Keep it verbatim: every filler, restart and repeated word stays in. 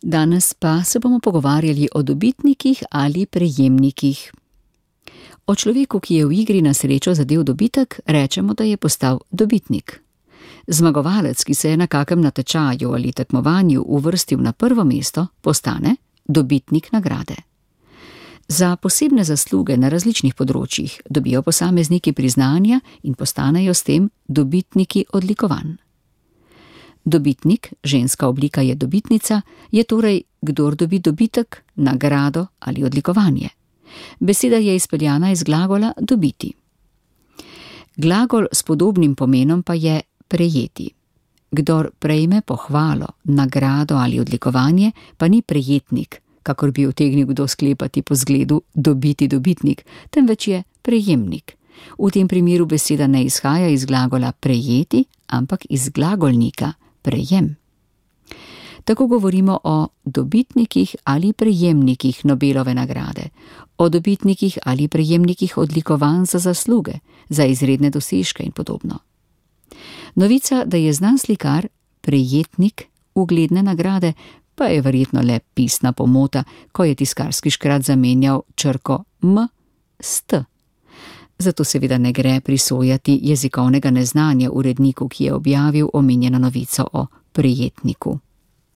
Danes pa se bomo pogovarjali o dobitnikih ali prejemnikih. O človeku, ki je v igri na srečo zadel dobitek, rečemo, da je postal dobitnik. Zmagovalec, ki se je na kakem natečaju ali tekmovanju uvrstil na prvo mesto, postane dobitnik nagrade. Za posebne zasluge na različnih področjih dobijo posamezniki priznanja in postanejo s tem dobitniki odlikovanj. Dobitnik, ženska oblika je dobitnica, je torej kdor dobi dobitek, nagrado ali odlikovanje. Beseda je izpeljana iz glagola dobiti. Glagol s podobnim pomenom pa je prejeti. Kdor prejme pohvalo, nagrado ali odlikovanje, pa ni prejetnik, kakor bi utegnil kdo sklepati po zgledu dobiti dobitnik, temveč je prejemnik. V tem primeru beseda ne izhaja iz glagola prejeti, ampak iz glagolnika prejem. Tako govorimo o dobitnikih ali prejemnikih Nobelove nagrade, o dobitnikih ali prejemnikih odlikovanj za zasluge, za izredne dosežke in podobno. Novica, da je znan slikar prejetnik ugledne nagrade, pa je verjetno le pisna pomota, ko je tiskarski škrat zamenjal črko M s T. Zato seveda ne gre prisojati jezikovnega neznanja uredniku, ki je objavil omenjeno novico o prejetniku.